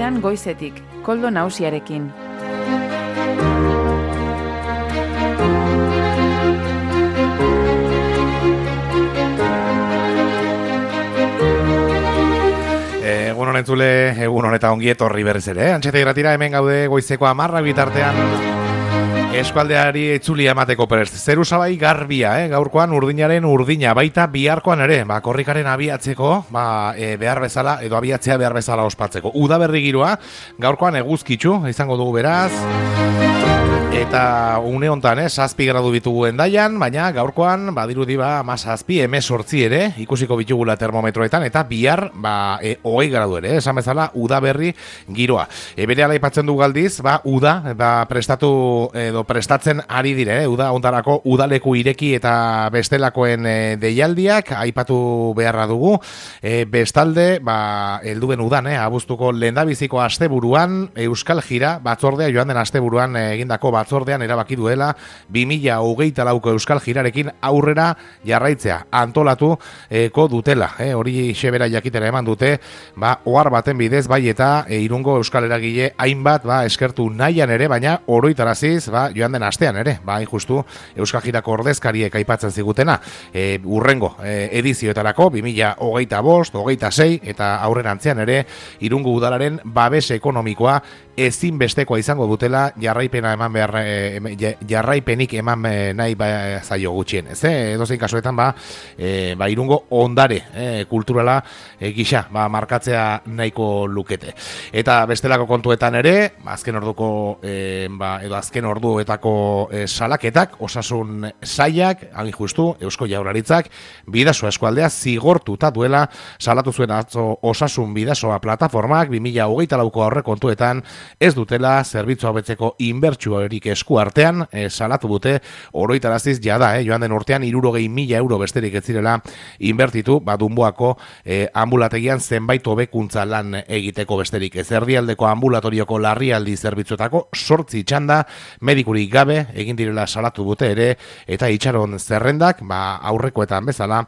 Irratian goizetik, Koldo Nausiarekin. Egun honentzule, egun honeta ongi etorri berriz ere. Antxeta Irratira hemen gaude goizeko 10 bitartean eskualdeari etzulia emateko prest. Zeru sabai garbia, gaurkoan urdinaren urdina, baita biharkoan ere, korrikaren abiatzeko, behar bezala, edo abiatzea behar bezala ospatzeko. Udaberri giroa, gaurkoan eguzkitzu, izango dugu beraz. Eta une hontan, 7 gradu bitugu Hendaian, baina gaurkoan badirudi 17, 18 ere, ikusiko bitugula termometroetan, eta bihar 20 gradu ere, esan bezala udaberri giroa. Berehala aipatzen du galdiz, uda prestatu edo prestatzen ari dire, uda hontarako udaleku ireki eta bestelakoen deialdiak aipatu beharra dugu. Bestalde, helduen udan, abuztuko lehendabiziko asteburuan Euskal Jira batzordea joan den asteburuan egindako batzordean erabaki duela 2024ko Euskal Jirarekin aurrera jarraitzea antolatuko dutela. Hori xebera jakitera eman dute, ohar baten bidez bai eta Irungo Euskal Eragile hainbat eskertu nahian ere, baina oroitaraziz joan den astean ere, justu Euskal Jirako ordezkariek aipatzen zigutena, urrengo edizioetarako 2025, 26 eta aurrerantzean ere Irungo udalaren babes ekonomikoa ezinbestekoa izango dutela jarraipenik eman nahi zaio gutxien. Edozein kasuetan Irungo ondare kulturala gisa markatzea nahiko lukete. Eta bestelako kontuetan ere, azken orduko edo azken orduetako salaketak, osasun sailak, hagin justu, Eusko Jaurlaritzak Bidasoa eskualdea zigortuta duela salatu zuen atzo osasun bidasoa plataformak 2024ko aurre kontuetan ez dutela zerbitzua hobetzeko inbertsiorik esku artean salatu dute oroitaraziz jada, joan den urtean 60.000 euro besterik ez zirela inbertitu, Dunboako ambulategian zenbait hobekuntza lan egiteko besterik ez. Erdialdeko ambulatorioko larrialdi zerbitzuetako 8 txanda medikurik gabe egin direla salatu dute ere, eta itxaron zerrendak aurrekoetan bezala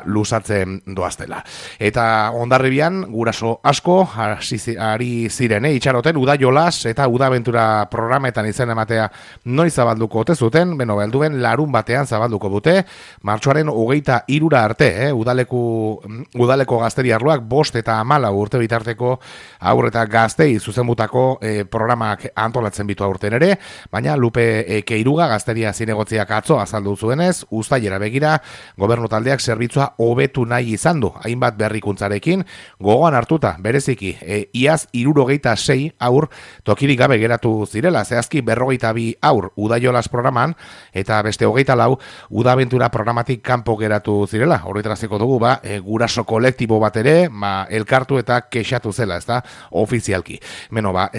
luzatzen doaztela. Eta Hondarribian guraso asko ari ziren itxaroten uda jolas eta uda abentura programetan izen ematea noiz zabalduko ote zuten, belduen larun batean zabalduko dute, martxoaren 23 arte, udaleko gazteri arloak 5 eta 14 urte bitarteko haur eta gaztei zuzenbutako programak antolatzen bitu aurten ere, baina Lupe Keiruga gazteria zinegotziak atzo azaldu zuenez, uztailera begira gobernu taldeak zerbitzua hobetu nahi izan du, hainbat berrikuntzarekin, gogoan hartuta, bereziki, iaz 66 haur tokirik gabe geratu zirela, zehazki 42 haur udaiolas programan, eta beste 24 udabentura programatik kanpo geratu zirela. Horretraziko dugu, guraso kolektibo bat ere, elkartu eta kexatu zela, ez da, ofizialki.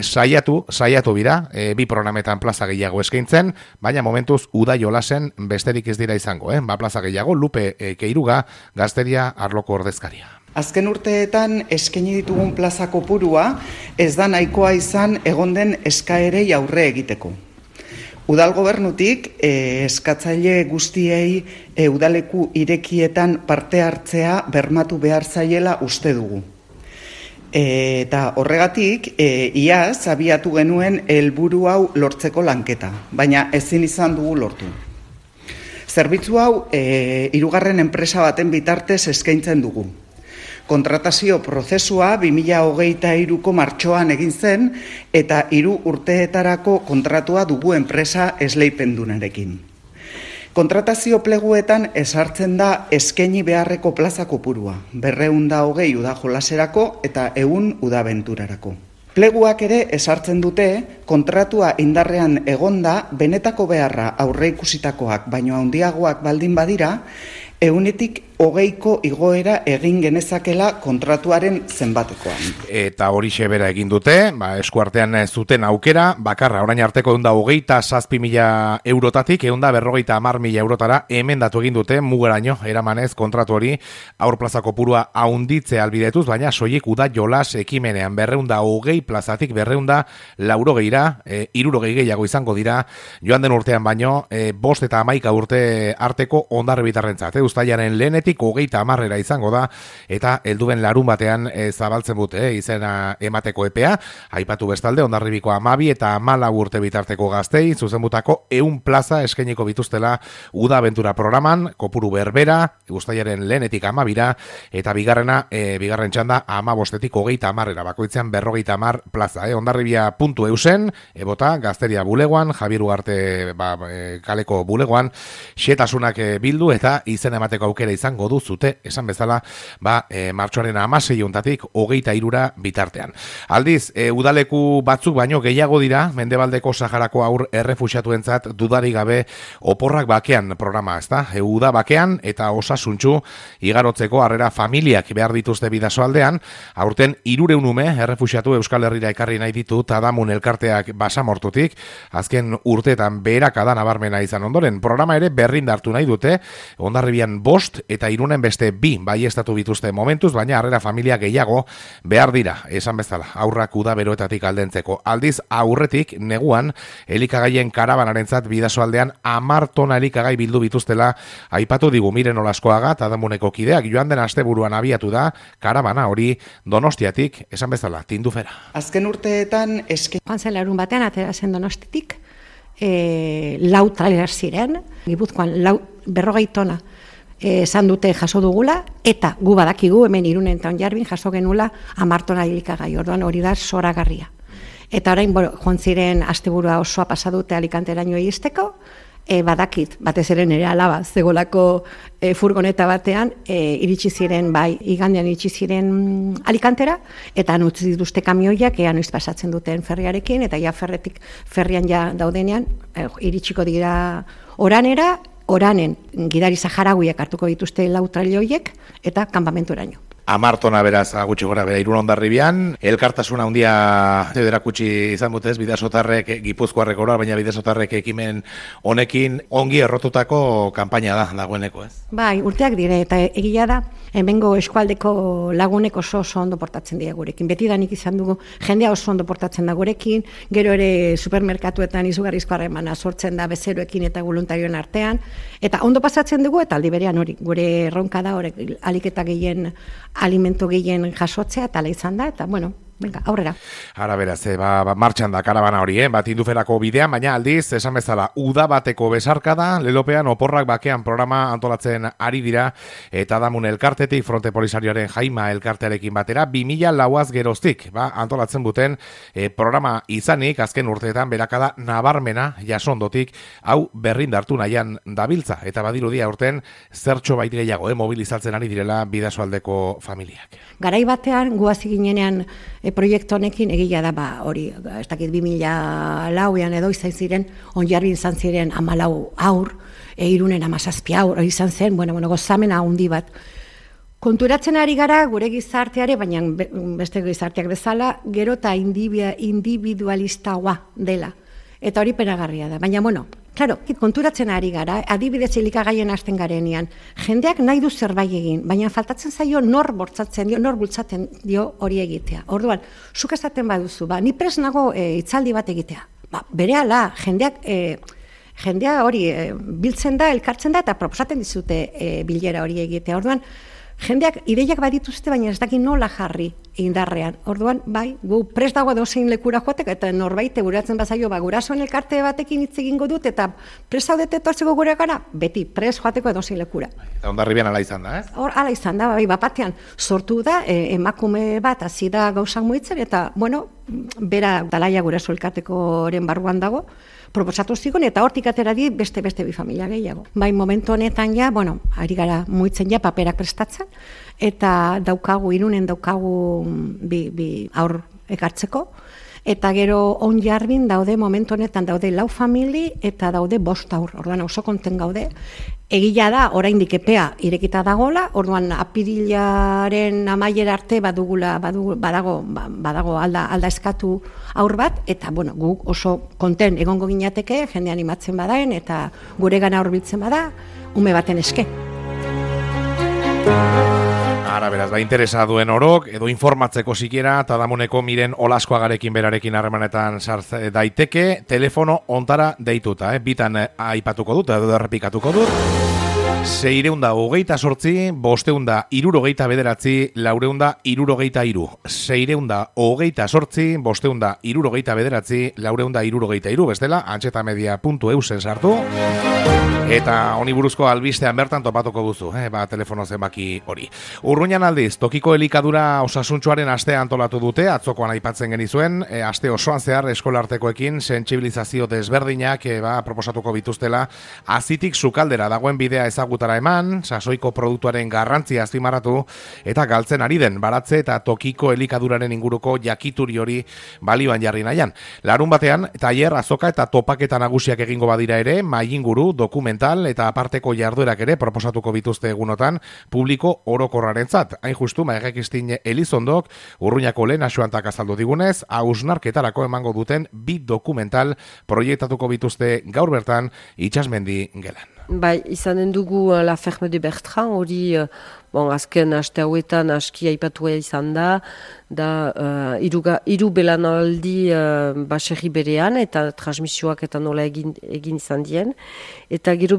Saiatu bira, bi programetan plaza gehiago eskaintzen, baina momentuz udaiolasen besterik ez dira izango, plaza gehiago, Lupe Keiruga, gazteria arloko ordezkaria. Azken urteetan eskaini ditugun plaza kopurua ez da nahikoa izan egon den eskaerei aurre egiteko. Udal gobernutik eskatzaile guztiei udaleku irekietan parte hartzea bermatu behar zaiela uste dugu. Eta horregatik, iaz abiatu genuen helburu hau lortzeko lanketa, baina ezin izan dugu lortu. Zerbitzu hau hirugarren enpresa baten bitartez eskaintzen dugu. Kontratazio prozesua 2023ko martxoan egin zen eta 3 urteetarako kontratua dugu enpresa esleipendunarekin. Kontratazio pleguetan ezartzen da eskaini beharreko plaza kopurua, 220 uda jolaserako eta 100 udabenturarako. Pleguak ere ezartzen dute kontratua indarrean egonda benetako beharra aurreikusitakoak baino handiagoak baldin badira, 120ko igoera egin genezakela kontratuaren zenbatekoan. Eta hori xebera egin dute, eskuartean zuten aukera, bakarra orain arteko 127.000 eurotatik 150.000 eurotara emendatu egin dute mugaraino eramanez kontratu hori aur plaza kopurua haunditze albidetuz, baina soilik uda jolas ekimenean 220 plazatik 280ra, 60 gehiago izango dira joan den urtean baino 5 eta 11 urte arteko Hondarribitarrentzat. Uztailaren lehenetik bostetik 30 izango da, eta helduen larun batean zabaltzen dute izena emateko epea, aipatu bestalde Hondarribiko 12 eta 14 urte bitarteko gaztei, zuzenbutako 100 plaza eskainiko bituztela Uda Abentura programan, kopuru berbera, uztailaren 1etik 12 eta bigarren txanda 15etik 30 bakoitzean 50 plaza. Hondarribia.eusen, ebota, Gazteria bulegoan, Javier Ugarte kaleko bulegoan, xetasunak bildu eta izen emateko aukera izango duzute, esan bezala, martxoaren 16 23 bitartean. Aldiz, udaleku batzuk baino gehiago dira, Mendebaldeko Saharako haur errefuxiatuentzat dudarik gabe oporrak bakean programa, ezta? Uda bakean eta osasuntsu igarotzeko harrera familiak behar dituzte Bidasoaldean, aurten 300 ume errefuxiatu Euskal Herrira ekarri nahi ditu Tadamun elkarteak Basamortutik, azken urteetan beherakada nabarmena izan ondoren. Programa ere berrindartu nahi dute, Hondarribian 5 eta Irunen beste 2 baiestatu bituzte momentuz, baina harrera familia gehiago behar dira, esan bezala, aurrak uda beroetatik aldentzeko. Aldiz, aurretik, neguan, elikagaien karabanarentzat Bidasoaldean 10 tona elikagai bildu bituztela, aipatu digu Miren Olaskoaga Tadamuneko kideak, joan den asteburuan abiatu da, karabana hori Donostiatik, esan bezala, tindufera. Azken urteetan Joan zen larun batean, atera zen Donostitik, 4 trailer ziren, Gipuzkoan 40 tona esan dute jaso dugula, eta gu badakigu hemen Irunen eta Hondarribin jaso genula 10 tona elikagai, orduan hori da zoragarria. Eta orain, joan ziren asteburua osoa pasadute Alicanteraino iristeko, badakit, batez ere nire alaba, zegolako furgoneta batean, iritsi ziren, igandean iritsi ziren Alicantera, eta utzi dituzte kamioiak, noiz pasatzen duten ferriarekin, eta ferrian daudenean, iritsiko dira Oranera, Oranen gidari saharauiak hartuko dituzte 4 trailoiek, eta kanpamenturaino. 10 tona beraz gutxi gora bera Irun Hondarribian, elkartasuna handia erakutsi izan dutez Bidasotarrek, Gipuzkoarrek oro, baina Bidasotarrek ekimen honekin ongi errotutako kanpaina da dagoeneko, ez? Bai, urteak dire, eta egia da, hemengo eskualdeko lagunek oso ondo portatzen dira gurekin. Betidanik izan dugu, jendea oso ondo portatzen da gurekin, gero ere supermerkatuetan izugarrizko harremana sortzen da bezeroekin eta voluntarioen artean, eta ondo pasatzen dugu, eta aldi berean hori, gure erronka da, hori aliketa gehien, alimento gehien jasotzea, eta ala izan da, eta bueno, venga, aurrera. Ara beraz, martxan da karabana hori, tinduferako bidean, baina aldiz, esan bezala, uda bateko besarkada, lelopean oporrak bakean programa antolatzen ari dira, eta Damun elkartetik, Fronte Polisarioaren Jaima elkartearekin batera, 2000 lauaz geroztik, antolatzen duten programa izanik, azken urteetan berakada nabarmena jasondotik, hau berrindartu nahian dabiltza, eta badirudia urten zertxo bait gehiago, mobilizatzen ari direla Bidasoaldeko familiak. Garai batean, guazi ginenean proiektu honekin egia da, hori, ez dakit 2004an edo izan ziren, Hondarribin izan ziren 14 haur, Irunen 17 haur, izan zen, gozamena handi bat. Konturatzen ari gara gure gizarteare, baina beste gizarteak bezala, gero eta individualistagoa dela. Eta hori penagarria da. Baina, claro, konturatzen ari gara, adibidez elikagaien hasten garenean, jendeak nahi du zerbait egin, baina faltatzen zaio nor bultzaten dio hori egitea. Orduan, zuk esaten baduzu, ni prest nago hitzaldi bat egitea. Berehala, jendea hori biltzen da, elkartzen da, eta proposaten dizute bilera hori egitea. Orduan, jendeak ideiak badituzte, baina ez dakit nola jarri indarrean. Orduan, gu prest dago edozein lekura joatek, eta norbait buratzen bazaio, gurasoen elkarte batekin hitz egingo dut, eta prest zaudete etortzeko gure gara, beti prest joateko edozein lekura. Eta Hondarribian ala izan da, ez? Ala izan da, batean sortu da, emakume bat hasi da gauzak muitzen, eta, bera Dalaia guraso elkartekoren barruan dago, proposatu zigun, eta hortik atera di beste bi familia gehiago. Momentu honetan ari gara muitzen paperak prestatzen, eta Irunen daukagu bi aur ekartzeko, eta gero Hondarribin daude, momentu honetan daude 4 famili, eta daude 5 aur, orduan oso konten gaude. Egia da, oraindik epea irekita dagola, orduan apirilaren amaiera arte badago alda eskatu aur bat, eta guk oso konten egongo ginateke, jende animatzen badaen, eta gure gana hurbiltzen bada, ume baten eske. Ara beraz, interesa duen orok, edo informatzeko sikiera, Tadamuneko Miren Olaskoagarekin berarekin harremanetan sartze daiteke, telefono ontara deituta, bitan aipatuko dut, edo errepikatuko dut. 628, 569, 469, 628, 569, 469, bestela, antxetamedia.eusen sartu, eta honi buruzko albistean bertan topatuko duzu, telefono zenbaki hori. Urruñan aldiz, tokiko elikadura osasuntsuaren astea antolatu dute, atzokoan aipatzen genizuen, aste osoan zehar eskolartekoekin sentsibilizazio desberdinak proposatuko bituztela, azitik sukaldera dagoen bidea ezagutara eman, sasoiko produktuaren garrantzia azpimarratu, eta galtzen ari den baratze eta tokiko elikaduraren inguruko jakituri hori balioan jarri nahian. Larun batean, tailer, azoka eta topaketa nagusiak egingo badira ere, mailinguru, dokumental eta aparteko jarduerak ere proposatuko bituzte egunotan publiko orokorrarentzat. Hain justu, Maigakistin Elizondok, Urruñako lehen asuantak azaldu digunez, hausnarketarako emango duten 2 dokumental proiektatuko bituzte gaur bertan Itsasmendi gelan. Bai, izanen dugu La Ferme de Bertrand, hori azken aste hauetan aski aipatua izan da hiru belanaldi baserri berean eta transmisioak eta nola egin izan dien. Eta gero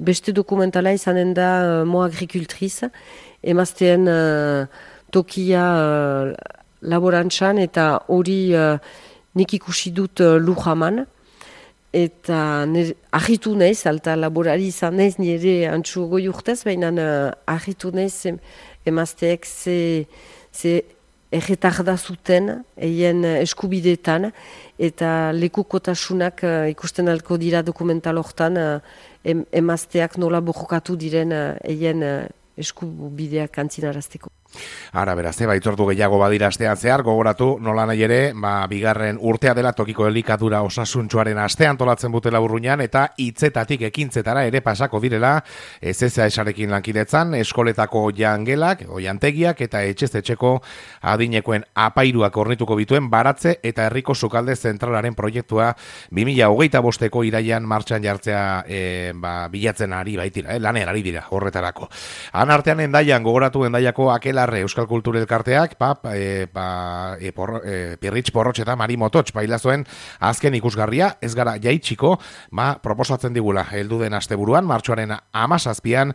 beste dokumentala izanen da Mo Agricultriz, emazteen tokia laborantzan eta hori nik ikusi dut Lujaman. Eta ahitu naiz, alta laborari izan naiz nire antxu goi urtez, baina ahitu naiz emazteek ze erretarda zuten eien eskubideetan eta lekukotasunak ikusten alko dira dokumental hortan emazteak nola borrokatu diren eien eskubideak antzinarazteko. Ara, beraz, itzordu gehiago badira astean zehar, gogoratu nola nahi ere, bigarren urtea dela tokiko elikadura osasuntsuaren astean tolatzen butela Urruñan, eta hitzetatik ekintzetara ere pasako direla, SSA-esarekin lankidetzan, eskoletako jangelak, jantegiak eta etxez-etxeko adinekoen apairuak ornituko bituen baratze eta herriko sukalde zentralaren proiektua 2025ko iraian martxan jartzea bilatzen ari baitira, lanean ari dira horretarako. Han artean Endaian, gogoratu Endaiako Akelarre Euskal Kultur Elkarteak, Pirritx Porrotx eta Mari Mototx bailazoen azken ikusgarria, ez gara jaitsiko, proposatzen digula, heldu den asteburuan, martxoaren 17an,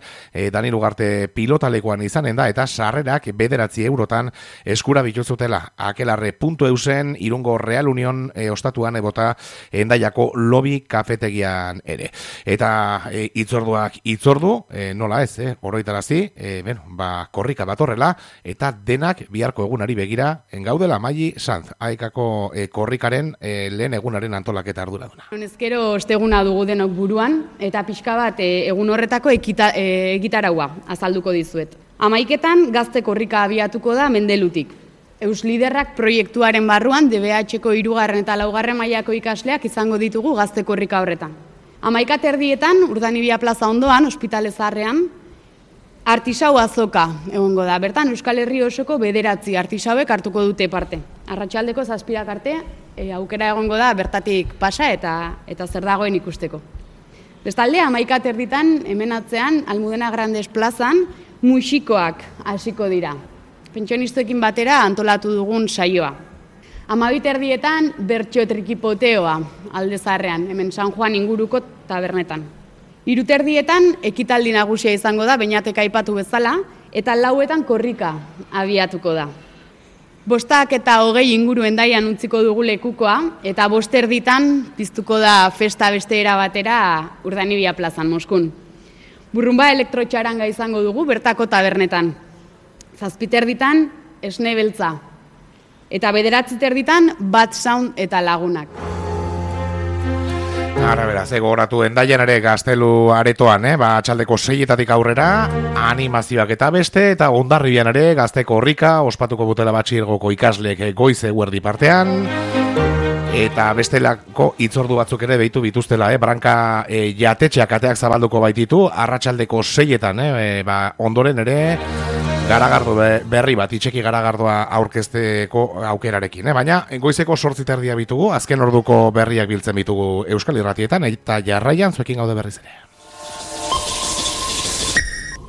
Dani Lugarte pilotalekoan izanen da, eta sarrerak 9 eurotan eskura bituzutela. Akelarre.eusen, Irungo Real Union ostatuan ebota Endaiako lobby kafetegian ere. Eta itzorduak itzordu, nola ez, oroitarazi, korrika datorrela, eta denak biharko egunari begira engaudela Maili Sanz, aekako korrikaren lehen egunaren antolaketa arduraduna. Ezkero osteguna dugu denok buruan, eta pixka bat egun horretako egitaraua azalduko dizuet. 11etan gazte korrika abiatuko da Mendelutik. Eusliderrak proiektuaren barruan DBH-ko 3. eta 4. mailako ikasleak izango ditugu gazte korrika horretan. 11:30 Urdanibia plaza ondoan, ospitale zaharrean, artisau azoka egongo da. Bertan Euskal Herri osoko 9 artisauek hartuko dute parte. Arratsaldeko 7 arte aukera egongo da bertatik pasa eta zer dagoen ikusteko. Bestalde 11:30 hemen atzean Almudena Grandes plazan musikoak hasiko dira. Pentsionistekin batera antolatu dugun saioa. 12:30 bertso trikipoteoa Alde Zaharrean, hemen San Juan inguruko tabernetan. 3:30 ekitaldi nagusia izango da, Beñatek aipatu bezala, eta 4etan korrika abiatuko da. 5:20 inguru Endaian utziko dugu lekukoa, eta 5:30 piztuko da festa beste era batera Urdanibia plazan, Moskun. Burrumba elektrotxaranga izango dugu bertako tabernetan. 7:30 esne beltza. Eta 9:30 Bat Sound eta lagunak. Ara beraz, gogoratu Endaian ere Gaztelu aretoan, atxaldeko 6etatik aurrera, animazioak eta beste, eta Hondarribian ere Gazte korrika, ospatuko butela batxilgoko ikasleek goiz eguerdi partean, eta bestelako hitzordu batzuk ere behitu bituztela, Branka jatetxeak ateak zabalduko baititu, arratsaldeko 6etan, ondoren ere, garagardo berri bat, itxeki garagardoa aurkezteko aukerarekin. Baina, goizeko 8:30 bitugu, azken orduko berriak biltzen bitugu Euskal Irratietan, eta jarraian zuekin gaude berriz ere.